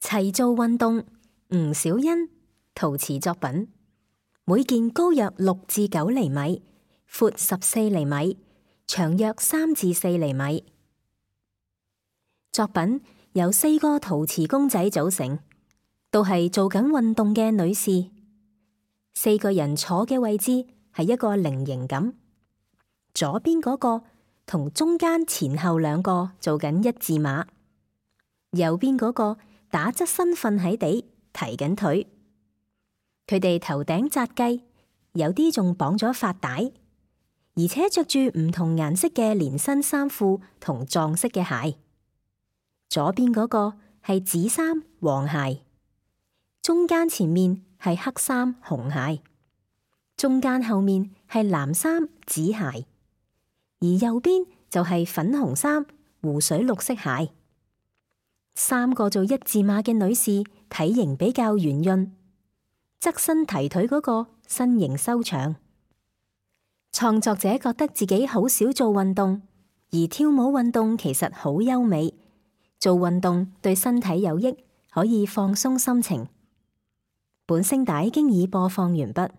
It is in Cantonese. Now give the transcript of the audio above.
齊做運動，吳小欣陶瓷作品，每件高約6至9厘米，闊14厘米，長約3至4厘米。作品由4個陶瓷公仔組成，都係做緊運動嘅女士。4個人坐嘅位置係一個菱形咁，左邊嗰個同中間前後2個做緊1字馬，右邊嗰個打側身瞓喺地，提緊腿。佢哋頭頂紮髻，有啲仲綁咗髮帶，而且着住唔同顏色嘅連身衫褲同撞色嘅鞋。左邊嗰個係紫衫黃鞋，中間前面係黑衫紅鞋，中間後面係藍衫紫鞋，而右邊就係粉紅衫湖水綠色鞋。3個做1字馬嘅女士體型比較圓潤，側身提腿嗰個身形修長。創作者覺得自己好少做運動，而跳舞運動其實好優美，做運動對身體有益，可以放鬆心情。本聲帶經已播放完畢。